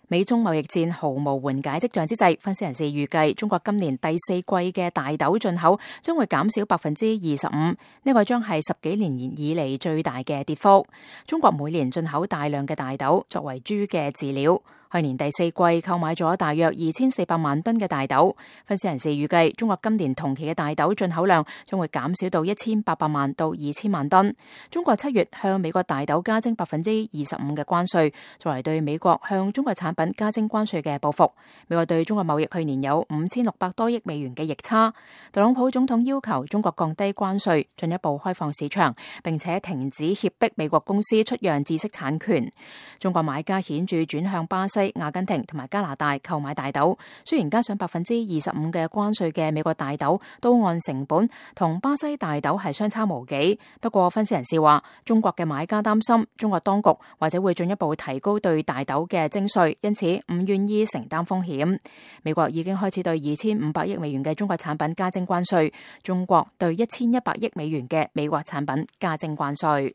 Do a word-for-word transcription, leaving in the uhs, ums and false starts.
美中貿易戰毫無緩解跡象之際，分析人士預計中國今年第四季嘅大豆進口將會減少百分之二十五，呢個將係十幾年以嚟最大嘅跌幅。中國每年進口大量嘅大豆作為豬嘅飼料。去年第四季購買咗大約二千四百萬噸嘅大豆，分析人士預計中國今年同期嘅大豆進口量將會減少到一千八百萬到二千萬噸。中國七月向美國大豆加徵百分之二十五嘅關稅，作為對美國向中國產品加徵關稅嘅報復。美國對中國貿易去年有五千六百多億美元嘅逆差。特朗普總統要求中國降低關稅，進一步開放市場，並且停止脅迫美國公司出讓知識產權。中國買家顯著轉向巴西、阿根廷同埋加拿大購買大豆，雖然加上百分之二十五嘅關稅嘅美國大豆都按成本同巴西大豆係相差無幾，不過分析人士話，中國嘅買家擔心中國當局或者會進一步提高對大豆嘅徵稅，因此唔願意承擔風險。美國已經開始對二千五百億美元嘅中國產品加徵關稅，中國對一千一百億美元嘅美國產品加徵關稅。